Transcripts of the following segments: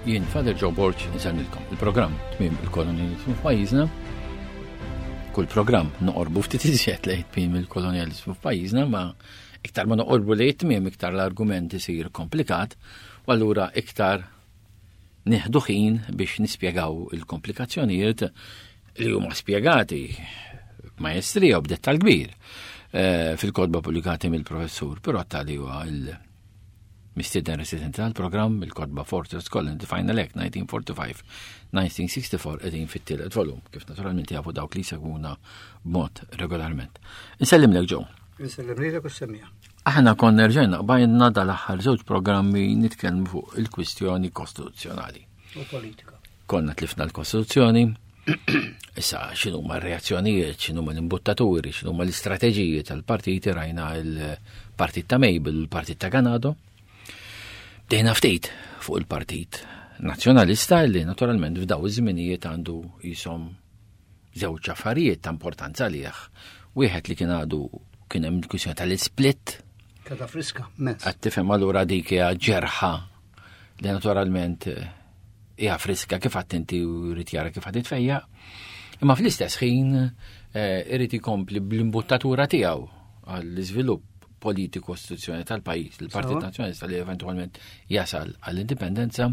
Jien Father Joe Borg insellmilkom. Il-programm tmiem il-kolonjalizmu f'pajjiżna. Kull programm noqorbu ftit iżjed lejn tmiem il-kolonjalizmu f'pajjiżna, ma iktar ma noqorbu lejn tmiem iktar l-argument isir komplikat u allura iktar nieħdu ħin biex nispjegaw il-komplikazzjonijiet li huma spjegati b'majestrija u b'dettal kbir eh, fil-kodba pubblikati mill-professur Pirotta li huwa il- Mistieden residenti tal-programm il-kotba Fortress Colony The Final Act 1945-1964 qegħdin fit-tielet volum, kif naturalment jafu dawk li jsegwuna b'mod regolarment. Insellimlek Joe. Insellim lilek u semmija. Aħna konna rġajna qbajna dal-aħħar żewġ programmi nitkellmu fuq il-kwistjoni kostituzzjonali. U politika. Konna tlifna l-Kostituzzjoni, issa x'inhu ma reazzjonijiet, x'inhu ma l-imbuttaturi, x'inhu ma l-istrateġiji tal-partiti rajna il-partit ta' Mabel, il-partit ta' Ganado. Bdejna ftit fuq il-partit nazzjonalista li naturalment f'daw iż-żminijiet għandu jisom żewġ affarijiet ta' importanza għalih. Wieħed li kien għadu kien hemm il-kwistjoni tal-isplit. Kada friska, mezz. Qed tifhem allura dik hija ġerħa li naturalment eh, hija friska kif għadt inti u jrid jara kif għad tfejja. Imma fl-istess ħin eh, irid ikompli bl-imbuttatura tiegħu għall-iżvilupp politiku istituzzjoni tal-pajjiż, il-Partit Nazzjonalista li eventwalment jasal għall-indipendenza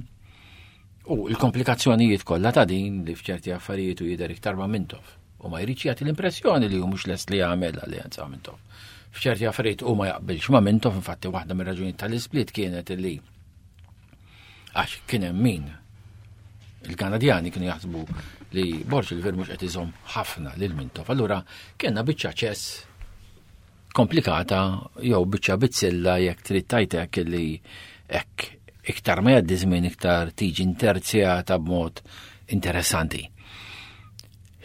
u l-komplikazzjonijiet kollha ta' din li f'ċerti affarijiet u jidher iktar ma' Mintoff u ma jridx jagħti l-impressjoni li hu mhux lest li jagħmel alleanza ma' Mintoff. F'ċerti affarijiet u ma jaqbilx ma' Mintoff, infatti waħda mir-raġunijiet tal-isplit kienet li Għax kien hemm min il-Kanadjani kienu jaħsbu li Borġ il-Ver mhux qed iżomm ħafna lil Mintoff. Allura kellna biċċa ċess komplikata jew biċċa bizzilla jekk trid tajtek li hekk iktar ma jgħaddi żmien iktar tiġi interzjata b'mod interessanti.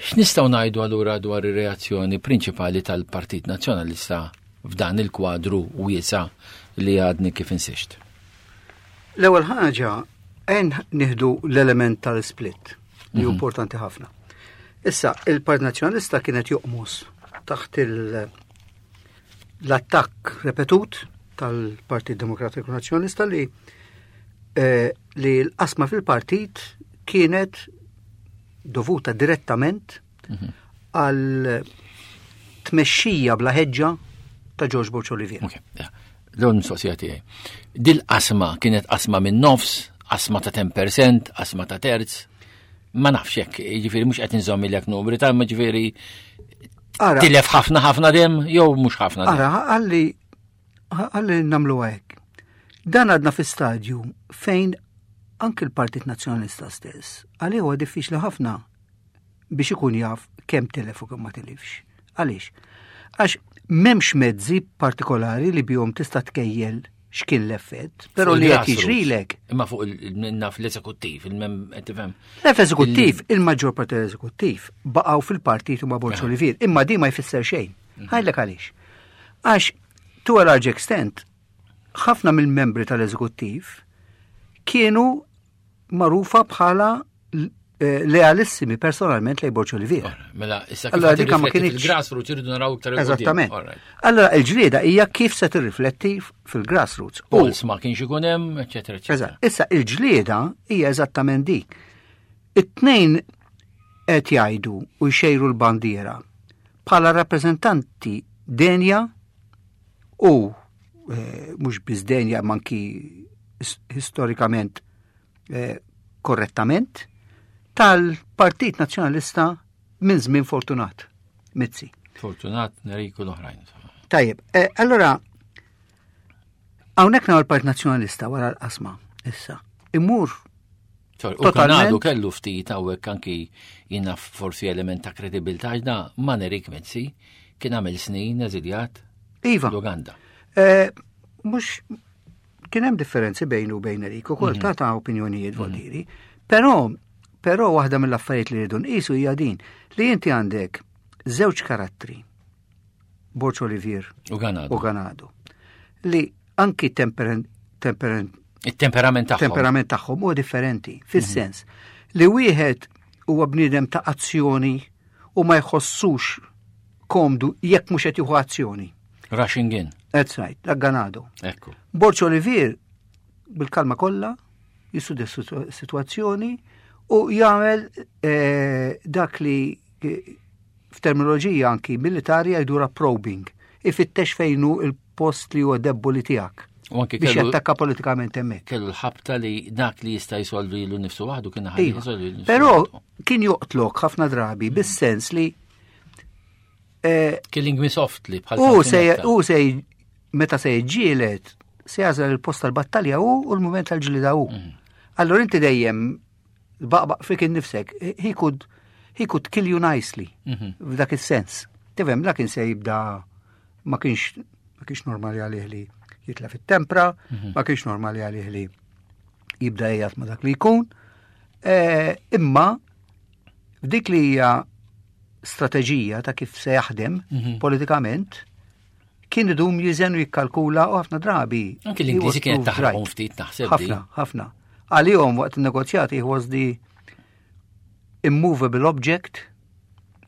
X'nistgħu ngħidu allura dwar ir-reazzjoni prinċipali tal-Partit Nazzjonalista f'dan il-kwadru wiesa' li għadni kif insixt? L-ewwel ħaġa għen nieħdu l-element tal-split li hu mhm. importanti ħafna. Issa, il-Partit Nazzjonalista kienet joqmos taħt l-attakk repetut tal-Partit Demokratiku Nazzjonalista li eh, li l-qasma fil-partit kienet dovuta direttament mhm. għal tmexxija bla ħeġġa ta' George Borg Olivier. Okay, yeah. L-ewwel mistoqsija tiegħi. Dil qasma kienet qasma minn nofs, qasma ta' 10%, qasma ta' terz. Ma nafx hekk, jiġifieri mhux qed inżomm ilek numri ta' ma ġifieri tilef ħafna ħafna dem jew mhux ħafna dem. Ara, għalli għalli nagħmlu hekk. Dan għadna fi stadju fejn anki l-Partit Nazzjonalista stess, għalih huwa diffiċli ħafna biex ikun jaf kemm tilef u kemm ma tilifx. Għaliex? Għax m'hemmx mezzi partikolari li bihom tista' tkejjel x'kien l-effett, però li jekk jiġrilek. Imma fuq il-naf l-eżekuttiv, il-mem tifhem. L-eżekuttiv, il-maġġor parti l-eżekuttiv baqgħu fil-partit ma' Borġ Olivier, imma di ma jfisser xejn. Mhm. Ħajlek għaliex. Għax to a large extent, ħafna mill-membri tal-eżekuttiv kienu magħrufa bħala eh, lealissimi personalment lej Borġ Olivier. Mela, issa kif allora, ma kienx il-grassroots irridu naraw iktar Eżattament. Allora il-ġlieda hija kif se tirrifletti fil-grassroots. Polls ma kienx ikun hemm, eċetera, eċetera. Issa il-ġlieda hija eżattament dik. It-tnejn qed jgħidu u jxejru l-bandiera bħala rappreżentanti denja u eh, mhux biss denja manki storikament eh, korrettament tal-Partit Nazzjonalista minn żmien Fortunat Mizzi. Fortunat Neriku l-oħrajn. Tajjeb, eh, allora hawnhekk nagħmel l-Partit Nazzjonalista wara l-qasma issa. Imur U Kanadu kellu ftit hawnhekk anki jiena forsi element ta' kredibilità da ma Nerik Mizzi kien għamel snin eżiljat iva. l-Uganda. Eh, mhux Kien hemm differenzi bejnu u bejn Erik ukoll mhm. ta' ta' opinjonijiet mhm. voldiri. Però però waħda mill-affarijiet li rridu nqisu hija din li inti għandek żewġ karattri Borġ Olivier u Ganado. U Ganado. Li anki temperament il-temperament tagħhom. Temperament tagħhom huwa differenti, fis-sens mhm. li wieħed huwa bniedem ta' azzjoni u ma jħossux komdu jekk mhux qed jieħu azzjoni. Rushing in. That's right, dak Ganado. Ekku. Borċ Olivier, bil-kalma kollha, Jistudja s-sitwazzjoni u jagħmel eh, dak li eh, f'terminoloġija anki militari jgħidura probing. Ifittex fejn hu il-post li huwa debboli tiegħek. U anki biex jattakka politikament hemmhekk. Kellu l-ħabta li dak li jista' jsolvi lu nifsu waħdu kien ħalli Iva. jsolvi nifsu. Però waħdu. kien joqtlok ħafna drabi bis-sens li eh, Killing me softly bħal u se kanzunetta. u se meta se jġielet se jażel il-post tal-battalja hu u l-mument tal-ġlida hu. Allora inti dejjem baqbaq fik innifsek, he could he could kill you nicely f'dak is-sens. Tifhem, la kien se jibda ma kienx ma kienx normali għalih li jitla fit-tempra, ma kienx normali għalih li jibda jgħat ma dak li jkun. Eh, Imma f'dik li hija strateġija ta' kif se jaħdem politikament, kien idum jiżen u jikkalkula u ħafna drabi. Anki l-Ingliżi he was kienet proved taħraqhom right. ftit naħseb di. Ħafna, ħafna. Għalihom waqt il-negozjati he was the immovable object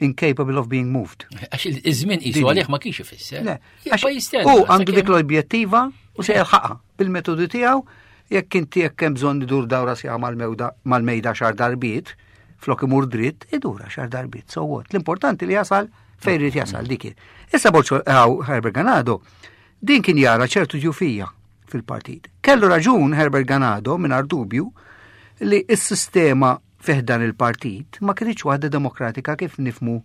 incapable of being moved. Għax iż-żmien qisu Dini. għalih ma kienx ifisser. Le, Jibqa' għax jistenna. U għandu sakemm- dik l-objettiva u se jelħaqha bil-metodi tiegħu jekk inti jekk hemm bżonn idur dawra sija mal-mewda mal-mejda xar darbiet, flok imur dritt, idura xar darbiet. So what? L-importanti li jasal fejn irid jasal dik. hi. Issa Borċo Herbert Ganado din kien jara ċertu ġufija fil-partit. Kellu raġun Herbert Ganado mingħajr dubju li s-sistema fiħdan il-partit ma kienx waħda demokratika kif nifmu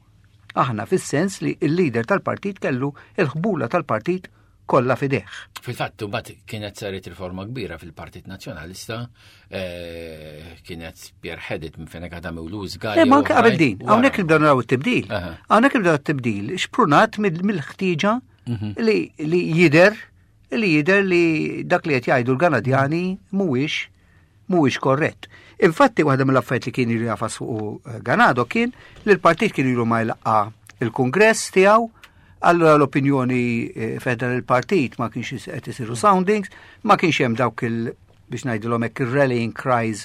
aħna fis-sens li il-leader tal-partit kellu il-ħbula tal-partit kollha fideh. Fil-fatt, mbagħad kienet saret riforma kbira fil-Partit Nazzjonalista, eh, kienet spearheaded minn Fenech Adami u Louis Galli. Le, ma u anke qabel oħrajn din, wara. hawnhekk nibdew naraw it-tibdil. Aha. Hawnhekk nibdew it-tibdil xprunat mill-ħtieġa li li jider li jider li dak li qed jgħidu l-Kanadjani mhuwiex mhuwiex korrett. Infatti waħda mill-affarijiet li kien ilu jafas fuq eh, Ganado kien li l-partit kien ilu ma jlaqqa il-kongress tiegħu Allora l-opinjoni eh, fedra il-partit ma kienx qed isiru soundings, ma kienx hemm dawk il biex ngħidilhom hekk ir-rallying cries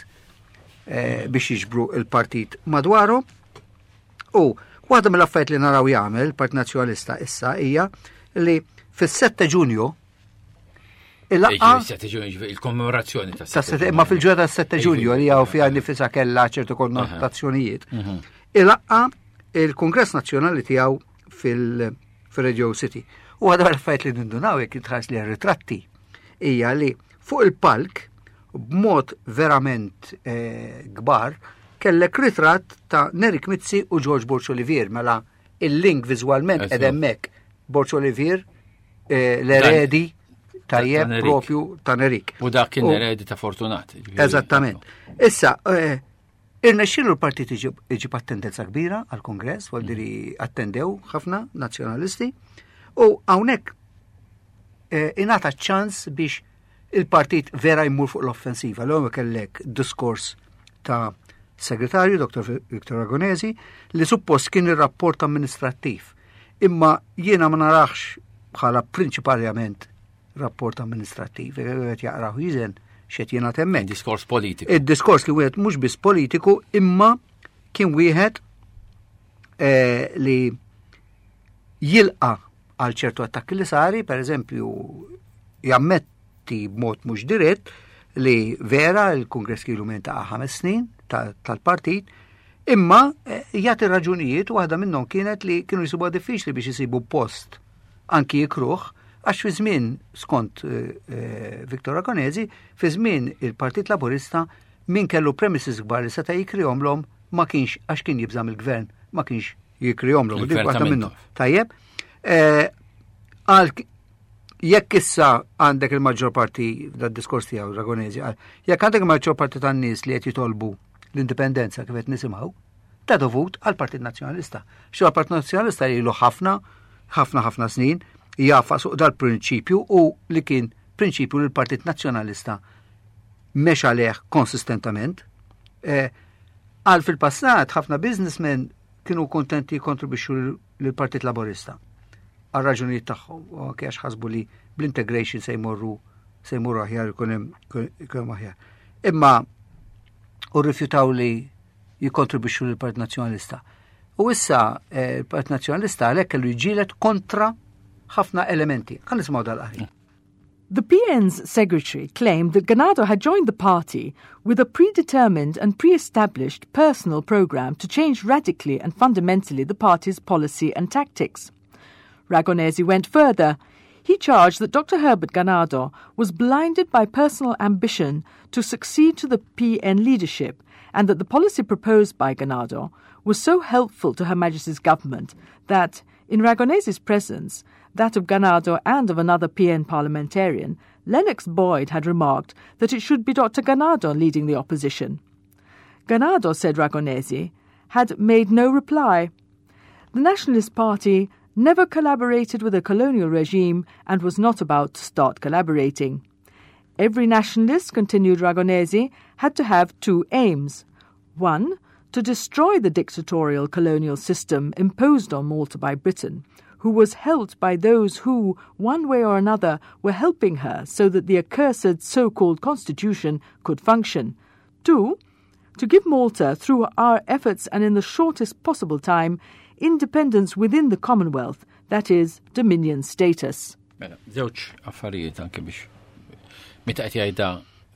eh, biex jiġbru il-partit madwaru. U waħda mill-affarijiet li naraw jagħmel il-Partit Nazzjonalista issa hija li fis-7 Ġunju il-laqgħa Iġi, 7 Ġunju, ġifieri il-kommemorazzjoni ta' ta' sette- ma fil-ġurnata tas 7 Ġunju li hawn fiha nifisha kellha ċertu konnotazzjonijiet. Ilaqqa il-Kongress Nazzjonali tiegħu fil-Radio City. U għadha l-affarijiet li nindunaw jekk jitħares li ritratti hija li fuq il-palk b'mod verament eh, kbar kellek ritratt ta' Nerik Mizzi u George Borg Olivier mela il-link viżwalment Eżatt. qed hemmhekk Borg Olivier eh, l-eredi tajjeb ta' Nerik. propju ta' Nerik. U dak kien U- eredi ta' Fortunat. ġifieri. Eżattament. Issa, eh, irnexxielu l-partit iġib iġib attendenza kbira għal-kongress, vuol diri attendew ħafna nazzjonalisti, u hawnhekk eh, ingħata ċans biex il-partit vera jmur fuq l-offensiva. L-ewwel kellek diskors ta' segretarju, Dr. Victor Agonesi, li suppost kien ir-rapport amministrattiv. Imma jiena ma narax bħala prinċipalment rapport amministrattiv, qed jaqrahu jiżen x'qed jingħad hemmhekk. Diskors politiku. Id-diskors li wieħed mhux biss politiku imma kien wieħed eh, li jilqa għal ċertu attakki li sari, per eżempju, jammetti b'mod mhux dirett li vera il-Kongress kielu minn ta' ħames snin ta- tal-partit, imma eh, jagħti raġunijiet u waħda minnhom kienet li kienu jsibuha diffiċli biex isibu post anki jikruh, għax fi żmien skont eh, eh, Viktor Ragonesi, fi żmien il-Partit Laburista min kellu premises kbar li seta' jikrihomlhom ma kienx għax kien jibżam il-gvern, ma kienx jikrihomlhom. Dik Il-gvern waħda ta' minnhom. Mintoff. Tajjeb. Eh, Għal jekk issa għandek il-maġġor parti dad diskors tiegħu Ragonesi, qal, jekk għandek il-maġġor parti tan-nies li qed jitolbu l-indipendenza kif qed nisimgħu, ta' dovut għal Partit Nazzjonalista. Xi għal-Partit Nazzjonalista ilu ħafna, ħafna ħafna snin jafa suq dal-prinċipju u li kien prinċipju li l-Partit Nazzjonalista mexa leħ konsistentament. Eh, Għal fil-passat ħafna businessmen kienu kontenti jikkontribwixxu lill-Partit Laburista għal raġunijiet tagħhom, u anke għax ħasbu li bl-integration se jmorru se jmorru aħjar ikun hemm ikun hemm aħjar. Imma u rrifjutaw li jikkontribwixxu lill-Partit Nazzjonalista. U issa eh, il-Partit Nazzjonalista għalhekk kellu jġielet kontra ħafna elementi. Ħa nisimgħu dal-qari. The PN's secretary claimed that Ganado had joined the party with a predetermined and pre-established personal program to change radically and fundamentally the party's policy and tactics. Ragonesi went further. He charged that Dr. Herbert Ganado was blinded by personal ambition to succeed to the PN leadership and that the policy proposed by Ganado was so helpful to Her Majesty's government that, in Ragonesi's presence, that of Ganado and of another PN parliamentarian, Lennox Boyd had remarked that it should be Dr. Ganado leading the opposition. Ganado, said Ragonesi, had made no reply. The Nationalist Party never collaborated with a colonial regime and was not about to start collaborating. Every nationalist, continued Ragonesi, had to have two aims. One, to destroy the dictatorial colonial system imposed on Malta by Britain, who was helped by those who, one way or another, were helping her so that the accursed so called constitution could function. Two, to give Malta, through our efforts and in the shortest possible time, independence within the Commonwealth, that is, dominion status. Mela, żewġ affarijiet anke biex meta qed jgħidha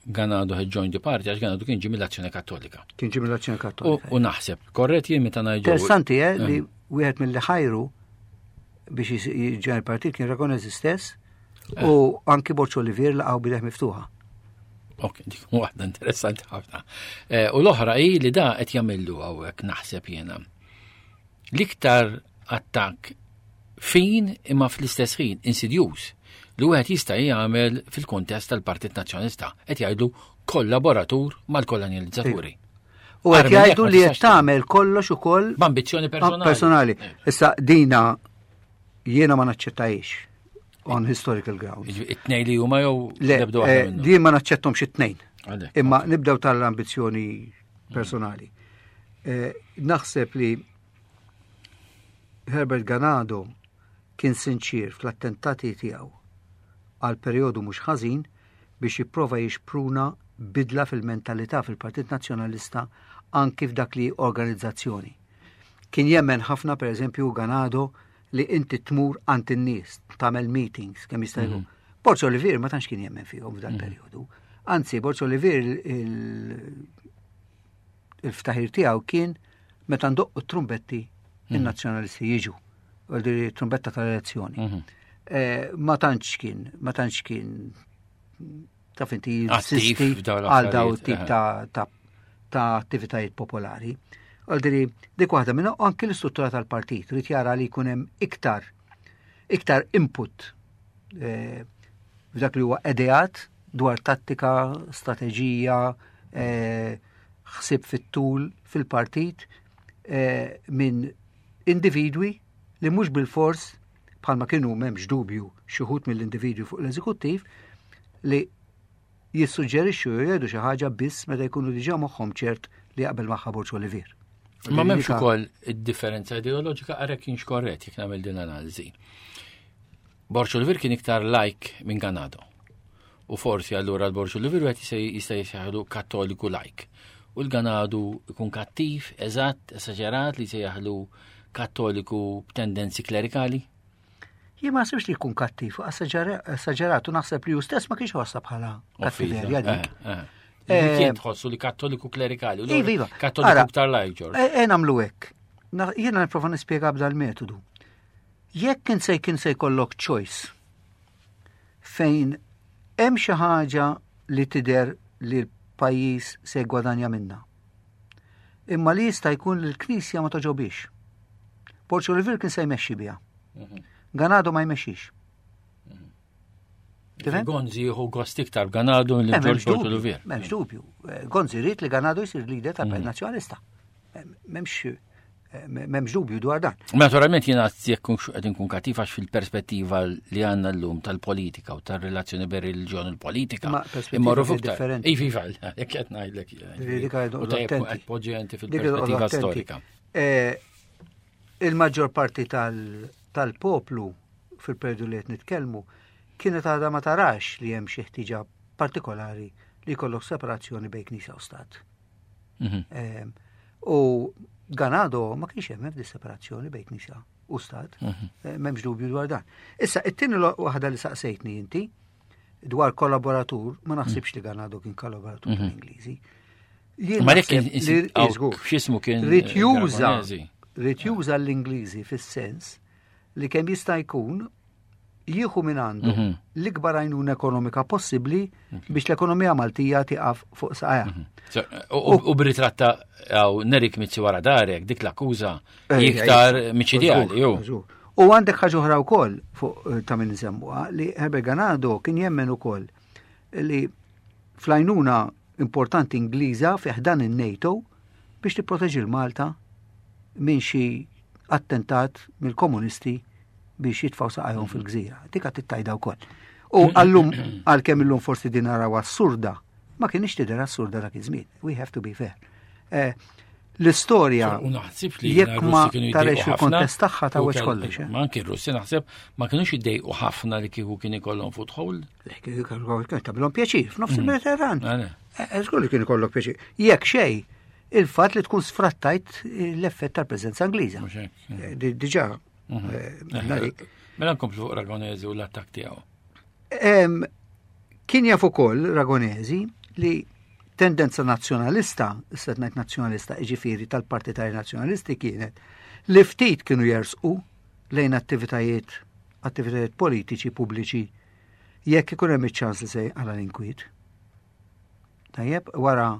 Ganado had joined the party għax Ganado kien ġie mill-Azzjoni Kattolika. Kien ġie mill-Azzjoni Kattolika. U naħseb, korrett jien meta ngħidu. Interessanti, eh, li eh. wieħed mill-li ħajru biex jiġġen il-partit kien Ragonesi stess eh. u anki Borċ Olivier laqgħu bideħ miftuħa. Ok, dik waħda interessanti ħafna. Eh, u l-oħra hi li da qed jagħmillu hawnhekk naħseb jiena. L-iktar attakk fin imma fl-istess ħin insidjuż li wieħed jista' jagħmel fil-kuntest tal-Partit Nazzjonalista qed jgħidu kollaboratur mal-kolonializzaturi. U qed jgħidu li qed tagħmel kollox ukoll b'ambizzjoni personali. Personali. Eh. Issa dina jiena ma naċċettajiex on historical grounds. It-tnej li huma jew Le, eh, din ma naċċettomx it-tnejn. Imma nibdew tal-ambizzjoni personali. Eh, naħseb li Herbert Ganado kien sinċir fl-attentati tiegħu għal perjodu mhux ħażin biex jipprova jixpruna bidla fil-mentalità fil-Partit Nazzjonalista anki f'dak li organizzazzjoni. Kien jemmen ħafna pereżempju Ganado li inti tmur għand in-nies, tagħmel meetings kemm jista' jkun. Mm -hmm. Borġ Olivier ma tantx kien jemmen fihom f'dan mm -hmm. perjodu. Anzi, Borġ Olivier il-ftaħir tiegħu kien meta ndoqqu trumbetti mm. in-nazzjonalisti jiġu. Għaldi trumbetta tal-elezzjoni. Mhm. Eh, ma tantx kien, ma tantx kien taf inti jinsisti għal daw tip eh. ta' ta' attivitajiet popolari. Għaldiri, dik waħda minna anki l-istruttura tal-partit, rrit jara li jkun hemm iktar iktar input eh, f'dak li huwa edeat dwar tattika, strateġija, eh, ħsieb fit-tul fil-partit eh, minn individwi li mhux bil-fors bħalma kienu m'hemmx dubju xi wħud mill-individwi fuq l-eżekuttiv li jissuġġerixxu jew jgħidu xi ħaġa biss meta jkunu diġà moħħhom ċert li jaqbel magħha Borġ Olivier. Ma m'hemmx ukoll id-differenza ideoloġika għarek kienx korrett jekk nagħmel din analiżi. Borġ Olivier kien iktar like minn Ganado. U forsi allura l-Borġ Olivier wieħed jista' jisejħlu kattoliku like. U l-Ganadu jkun kattiv, eżatt, esaġerat li jsejjaħlu kattoliku b'tendenzi klerikali? Jien ma naħsibx li jkun kattiv, esaġerat u naħseb li hu stess ma kienx ħossa bħala kattiverja dik. Eh, eh. eh. Kien tħossu li kattoliku klerikali, iva, iva. Kattoliku ktar lajk, Ġorġ. E nagħmlu hekk. Jiena nipprova nispjega b'dal metodu. Jekk kien se kien se jkollok choice fejn hemm xi ħaġa li tidher li l-pajjiż se jgwadanja minnha. Imma li jista' jkun li l-Knisja ma toġobix. Borġ Olivier kien se jmexxi biha. Mhm. Ganado ma jmexxix. Mhm. Tifhem? Gonzi jieħu gost iktar Ganado li eh, Ġorġ Borġ Olivier. M'hemmx dubju. Eh, Gonzi rrid li Ganado jsir leader tal-Partit mhm. Nazzjonalista. M'hemmx M'hemmx dubju dwar dan. Naturalment jiena jekk qed inkun kattiv għax fil-perspettiva li għandna llum tal-politika u tar-relazzjoni bejn reliġjon u l-politika. Imma differenti. Iva, iva, jekk qed ngħidlek. U tajjeb qed poġġi inti fil-perspettiva storika. Eh, il-maġġor parti tal-poplu fil-periodu li qed nitkellmu kienet għadha ma tarax li hemm xi ħtiġa partikolari li jkollok separazzjoni bejn knisja u stat. Mhm. Ehm, u Ganado ma kienx hemm di separazzjoni bejn knisja u stat, mhm. eh, m'hemmx dubju dwar dan. Issa, it-tieni waħda li saqsejtni inti, dwar kollaboratur, ma naħsibx li Ganado kien kollaboratur mhm. tal-Ingliżi. Ma dik x'ismu kien Rid juża rid juża l-Ingliżi fis-sens li kemm jista' jkun jieħu minn għandu mhm. l-ikbar għajnuna ekonomika possibbli biex l-ekonomija Maltija tiqaf fuq saqajha. Mhm. U b'ritratta għaw Nerik Mizzi wara darek, dik l-akkuża eh, iktar eh, miċidjali. U għandek ħaġa oħra wkoll fuq eh, ta' min nsemmuha li Herbert Ganado kien jemmen ukoll li fl-għajnuna importanti Ingliża fi ħdan in-NATO biex tipproteġi l-Malta minn xi attentat mill-komunisti biex jitfaw saqajhom fil-gżira. Dik qed tittajda wkoll. U għallum għalkemm illum forsi din naraw assurda, ma kienx tidher assurda dak iż-żmien. We have to be fair. Eh, l-istorja jekk ma tarex il-kontest tagħha ta' weċ kollox. Eh. Ma anki r-Russi naħseb ma kienux jiddejqu ħafna li kieku kien ikollhom foothold. Le kieku kien tagħmilhom pjaċir f'nofs mm. il-Mediterran. Eh, żgur li kien ikollok pjaċir. Jekk xejn, il-fatt li tkun sfrattajt l-effett tal-preżenza Ingliża. Diġà Mhm. Eh, mela nkomplu fuq Ragonesi u l-attak tiegħu. Kien jaf ukoll Ragonesi li tendenza nazzjonalista, issa ngħid nazzjonalista, jiġifieri tal-partitari nazzjonalisti kienet li ftit kienu jersqu lejn attivitajiet attivitajiet politiċi pubbliċi jekk ikun hemm iċ-ċans li se għala l-inkwiet. Tajjeb, wara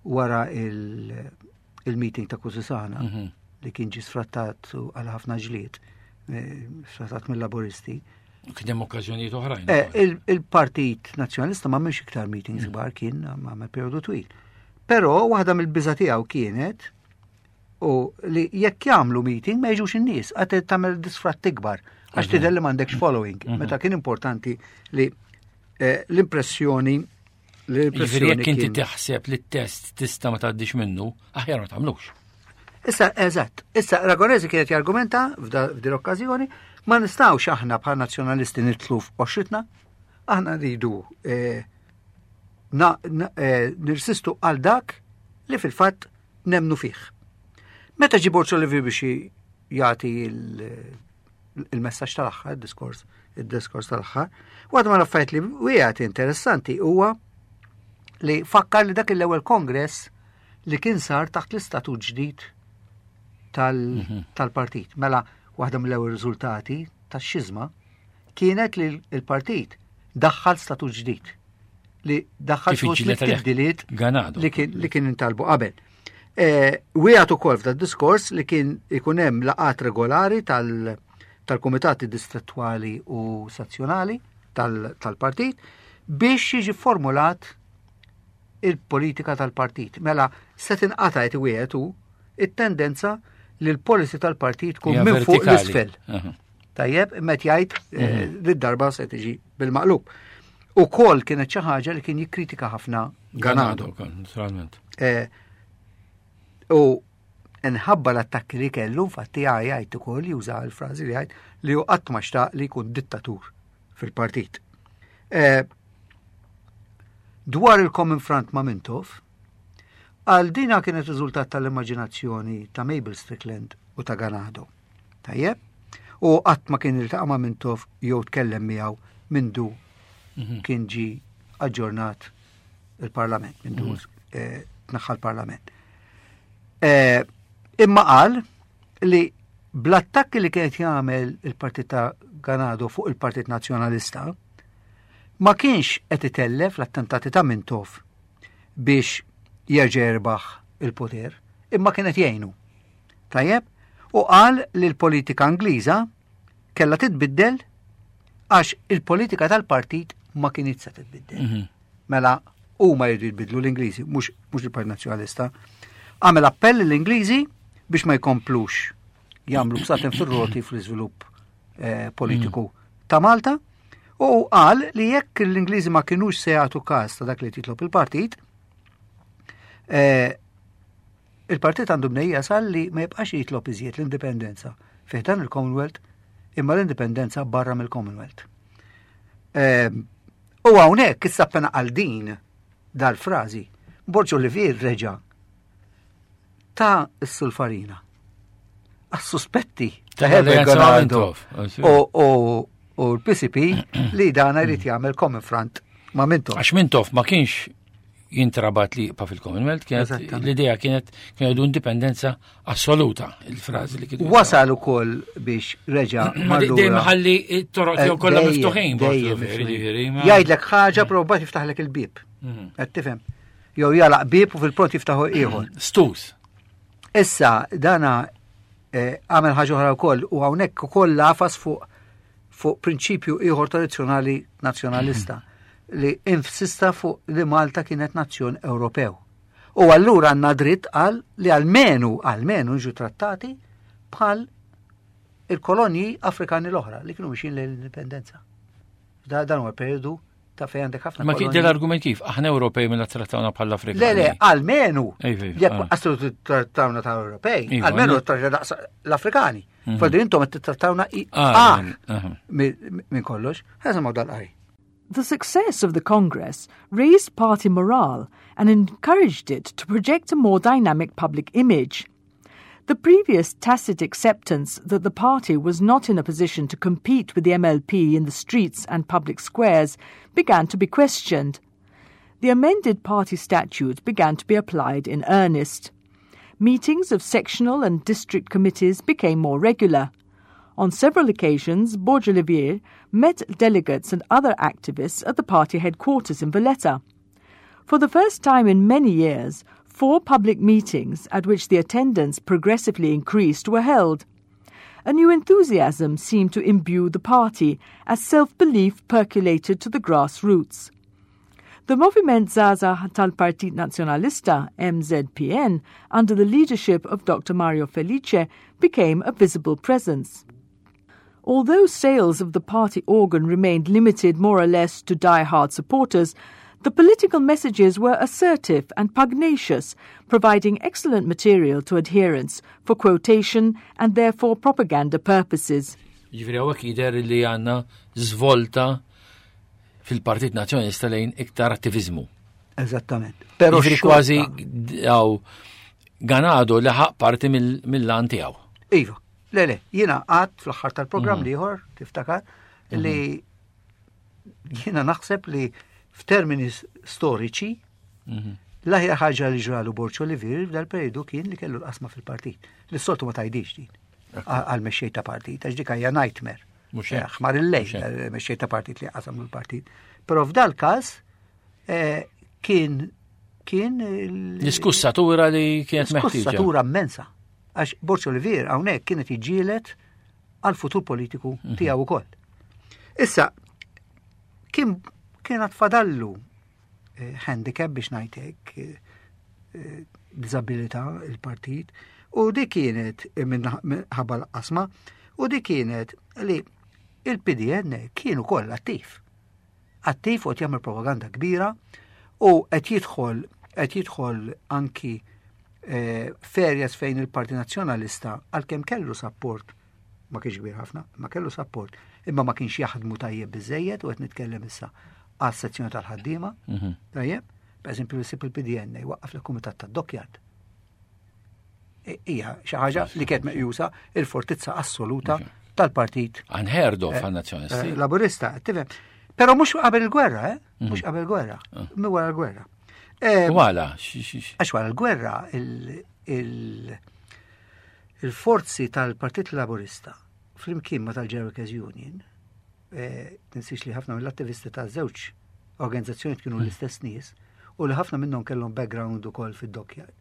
wara il-meeting ta' Kusisana mhm. li kien ġi sfrattat għal ħafna ġlied, eh, sfrattat mill-laboristi. Kien hemm okkażjonijiet oħrajn. Eh, il-Partit Nazzjonalista ma mhux iktar meetings mhm. kbar kien ma periodu twil. Però waħda mill-biża tiegħu kienet u li jekk jagħmlu meeting ma jiġux in-nies, għad tagħmel disfratt ikbar għax mhm. tidher li m'għandekx following. Meta kien importanti li Eh, l-impressjoni l-impressjoni. Jekk inti taħseb li t-test tista' ma tgħaddix minnu, aħjar ma tagħmlux. Issa, eżatt, issa Ragonesi kienet jargumenta f'din l-okkażjoni, ma nistgħux aħna bħal nazzjonalisti nitlu f'qoxritna, aħna rridu eh, eh, nirsistu għal dak li fil-fatt nemnu fih. Meta ġi Borċo Levi biex jagħti il-messaġġ tal-aħħar, il-diskors, il-diskors tal-aħħar. Waħda ma l-affarijiet li wieħed interessanti huwa li fakkar li dak l-ewwel kongress li kien sar taħt l-istatut ġdid mhm. tal-partit. Mela, waħda mill-ewwel riżultati tax-xiżma kienet li l-partit daħħal statut ġdid li daħħal tibdiliet li kien intalbu qabel. Eh, wieħed ukoll f'da diskors li kien ikun hemm laqat regolari tal-kumitati distrettwali u sezzjonali tal-partit biex jiġi formulat il-politika tal-partit. Mela, se tinqata' qed wieħed hu it-tendenza li l-policy tal-partit tkun minn fuq l-isfel. Tajjeb, met jgħid eh, mhm. li darba se tiġi bil-maqlub. U kol kienet xi ħaġa li kien jikkritika ħafna Ganado. Naturalment. Eh, u nħabba l-attakki li kellu, infatti jgħid ukoll juża l-frażi li jgħid li hu qatt ma xtaq li jkun dittatur fil-partit. Eh, dwar il-Common Front ma' Mintoff, għal dina kienet riżultat tal-immaġinazzjoni ta' Mabel Strickland u ta' Ganado. Tajjeb? U qatt ma kien iltaqa' ma' Mintoff jew tkellem miegħu mindu mhm. kien ġi aġġornat il-Parlament, mindu mhm. eh, tnaħħa l-Parlament. Eh, imma qal li bl-attakki li kienet jagħmel il-Partit ta' Ganado fuq il-Partit Nazzjonalista ma kienx qed itellef l-attentati ta' Mintoff biex jerġa' jerbaħ il-poter, imma kienet jgħinu. Tajjeb? U qal li l-politika Ingliża kellha titbiddel għax il-politika tal-partit ma kinitx se titbiddel. Mhm. Mela huma jridu jbidlu l-Ingliżi, mhux il-Partit Nazzjonalista. Għamel appell l-Ingliżi biex ma jkomplux jagħmlu bsaten fir-roti fl-iżvilupp eh, politiku mm. ta' Malta u qal li jekk l-Ingliżi ma kinux se jagħtu każ ta' dak li titlob il-partit, eh, Il-partit għandu mnejn jasal li ma jibqax jitlob iżjed l-indipendenza fi ħdan il-Commonwealth imma l-indipendenza barra mill-Commonwealth. Ehm, u hawnhekk issa appena għal din dal-frażi, Borġ Olivier reġa' ta' s-sulfarina. Għas-suspetti ta' Herbert Ganado u u l-PCP li dana jrid jagħmel common front ma' Mintoff. Għax Mintoff ma kienx jintrabat li jibqa' fil-Commonwealth, kienet l-idea kienet kienu jgħidu indipendenza assoluta, il-frażi li kienu. Wasal ukoll biex reġa' Dejjem ħalli t-toroq tiegħu eh, kollha miftuħin. Jgħidlek ħaġa però mbagħad jiftaħlek il-bieb. Mhm. Qed tifhem? Jew jalaq bieb u fil-pront jiftaħu ieħor. Stus. Issa dana eh, għamel ħaġa oħra wkoll u hawnhekk ukoll lafas fuq fuq prinċipju ieħor tradizzjonali nazzjonalista li insista fuq li Malta kienet nazzjon Ewropew. U allura għandna dritt għal li almenu almenu nġu trattati bħal il-kolonji Afrikani l-oħra li kienu mixin lejn l-indipendenza. Dan huwa periodu ta' fejn għandek ħafna. Ma kien l-argument kif, aħna Ewropej mela trattawna bħala Afrikani. Le, le, almenu. Jekk ah. għaslu trattawna ta' Ewropej, iva, almenu trattawna l-Afrikani. Mhm. Fadri intom qed titrattawna ah, minn kollox. Ħa dal-qari. The success of the Congress raised party morale and encouraged it to project a more dynamic public image. The previous tacit acceptance that the party was not in a position to compete with the MLP in the streets and public squares began to be questioned. The amended party statute began to be applied in earnest. Meetings of sectional and district committees became more regular. On several occasions, Borg Olivier met delegates and other activists at the party headquarters in Valletta. For the first time in many years, four public meetings at which the attendance progressively increased were held. A new enthusiasm seemed to imbue the party as self belief percolated to the grassroots. The Moviment Żgħażagħ tal-Partit Nazzjonalista, MZPN, under the leadership of Dr. Mario Felice, became a visible presence. Although sales of the party organ remained limited more or less to die-hard supporters, the political messages were assertive and pugnacious, providing excellent material to adherents for quotation and therefore propaganda purposes. Ġifieri hawnhekk jidher li għandna żvolta fil-Partit Nazzjonalista lejn iktar attiviżmu. Eżattament. Però ġifieri kważi għaw Ganado laħaq parti mill-lan tiegħu. Iva, le le, jiena għad fl-aħħar tal-programm mm. liħor, tiftakar, li mhm. jiena naħseb li f'termini storiċi, mhm. l-aħjar ħaġa li ġralu Borċo Olivier f'dal-periodu kien li kellu l-qasma fil-partit. Li s-soltu ma tajdix din għal mexxej ta' partit, għax dik hija nightmare. Mhux hekk. Ħmar il-lejl, eh, mexxej ta' partit li qasam l-partit. Però f'dal każ eh, kien kien L-iskussatura li kienet meħtieġa. Iskussatura immensa. Għax Borġ Olivier hawnhekk kienet jiġġieled għal futur politiku mhm. tiegħu ukoll. Issa, kien kien fadallu eh, handicap biex ngħidlek, eh, disabilità il-partit, u di kienet eh, minħabba l-qasma, u di kienet li il-PDN kienu koll attiv. Attiv u jagħmel propaganda kbira u qed jidħol qed jidħol anki eh, ferjas fejn il-Parti Nazzjonalista għalkemm kellu support ma kienx kbir ħafna, ma kellu support, imma ma kienx jaħdmu tajjeb biżejjed u qed nitkellem issa għas sezzjoni tal-ħaddiema. Mhm. Tajjeb, per eżempju l il-PDN waqqaf l-Kumitat tad-Dockyard. Hija xi ħaġa li kienet meqjusa il-fortizza assoluta tal-partit. Unheard of eh, għan-nazzjonisti. Eh, Laburista, tifhem. Però mhux qabel il-gwerra, eh? Mhm. Mhux qabel il-gwerra, ah. mi wara l-gwerra. Eh, wara, Għax wara l-gwerra il-forzi tal-Partit Laburista flimkien ma tal-General Workers Union Eh, tinsiex li ħafna mill-attivisti ta' żewġ organizzazzjoni kienu l-istess nies u li ħafna minnhom kellhom background ukoll fid-dockyard.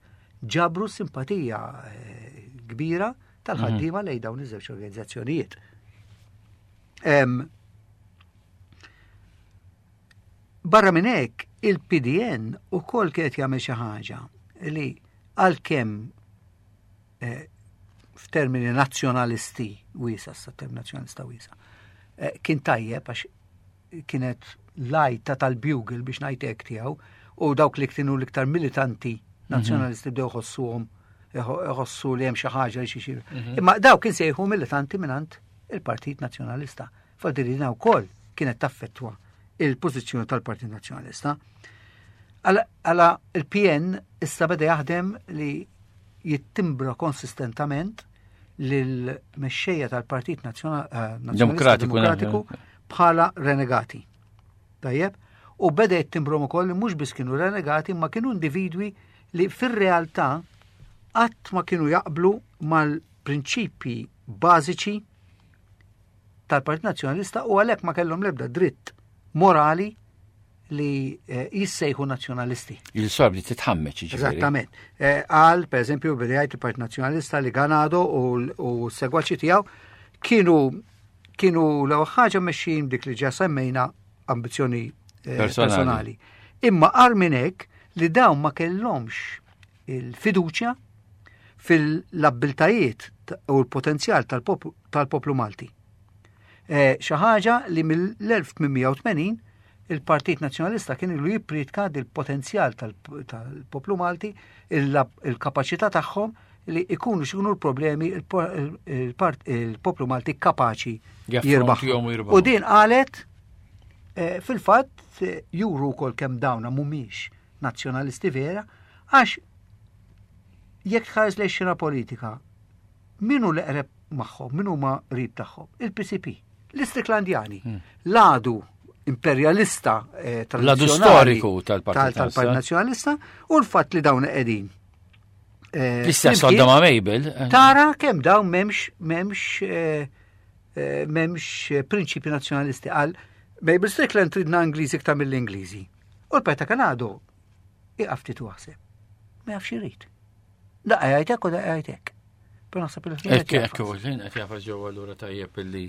Ġabru simpatija eh, kbira tal-ħaddiema mhm. lejn dawn iż-żewġ organizzazzjonijiet. Barra minn hekk, il-PDN ukoll kienet jagħmel xi ħaġa li għalkemm eh, f'termini nazzjonalisti wiesa, sa term nazzjonalista wiesa, eh, kien tajjeb għax kienet lajta tal-bugle biex ngħid hekk tiegħu u dawk li kienu l-iktar militanti mhm. nazzjonalisti bdew ħossuhom ħossu li hemm xi ħaġa li xi xi. Mhm. Imma dawk kien sejħu militanti mingħand il-Partit Nazzjonalista. Fadilina wkoll kienet taffettwa il-pożizzjoni tal-Partit Nazzjonalista. Għala il-PN issa beda jaħdem li jittimbra konsistentament lill-mexxejja tal-Partit eh, Demokratiku, Demokratiku eh. bħala renegati. Tajjeb? U beda jittimbrom ukoll li mhux biss kienu renegati ma kienu individwi li fir-realtà qatt ma kienu jaqblu mal-prinċipji bażiċi tal-Partit Nazzjonalista u għalhekk ma kellhom l-ebda dritt morali li eh, jissejħu nazzjonalisti. Il-sorb li titħammeċ. Eżattament. Eh, għal, per eżempju, bidejt il-Partit Nazzjonalista li Ganado u s-segwaċi tiegħu kienu kienu l-ewwel ħaġa mexxin dik li ġa semmejna ambizzjoni eh, personali. Imma qar minn hekk li dawn ma kellhomx il-fiduċja fil-abbiltajiet u l-potenzjal tal-poplu Malti. Eh, xi ħaġa li mill-1880 il-Partit Nazzjonalista kien ilu jippritka dil-potenzjal tal-poplu Malti, il-kapaċità tagħhom li ikunu x'ikunu l-problemi il-poplu Malti kapaċi jirbaħ. U din qalet eh, fil-fatt eh, juru wkoll kemm dawna mhumiex nazzjonalisti vera għax jekk tħares lejn xena politika min hu l-eqreb magħhom, min huma qrib tagħhom? Il-PCP, l-Istriklandjani, l-għadu imperjalista eh, L-għadu storiku tal-Partit Nazzjonalista u l-fatt li dawn qegħdin. Eh, L-istess għadda ma' Mabel. Eh. Tara kemm dawn memx memx memx prinċipi nazzjonalisti għal Mabel Strickland tridna Ingliżi iktar mill-Ingliżi. U l-Peta Kanado iqaf ftit waħseb. Ma jafx irid. Daqqa jgħid hekk u daqqa jgħid hekk. Però naħseb il Ekk, ekk, u l-ħin qed jafas ġewwa allura tajjeb illi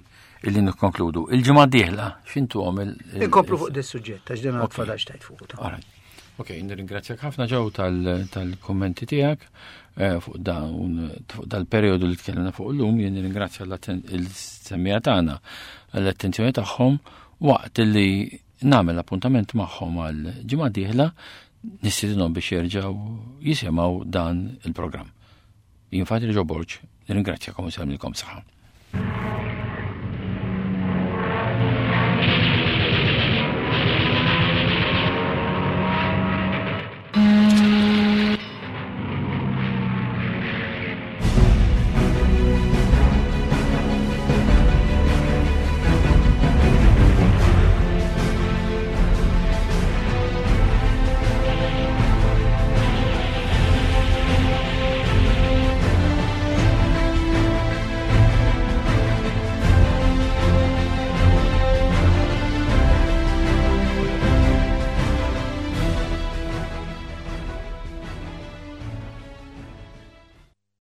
illi nikkonkludu. Il-ġimgħa d-dieħla x'intu għom il. Inkomplu fuq dis suġġett għax din għad tajt fuq. Ok, nirringrazzjak ħafna ġew tal-kummenti tiegħek eh, fuq dawn fuq dal-perjodu li tkellimna fuq illum, jien nirringrazzja l-semmija tagħna għall-attenzjoni tagħhom waqt li nagħmel appuntament magħhom għal ġimgħa dieħla nistidinhom biex jerġgħu jisimgħu dan il-programm. Jien Fatri Ġo Borg, nirringrazzjakom u nsellmilkom saħħa.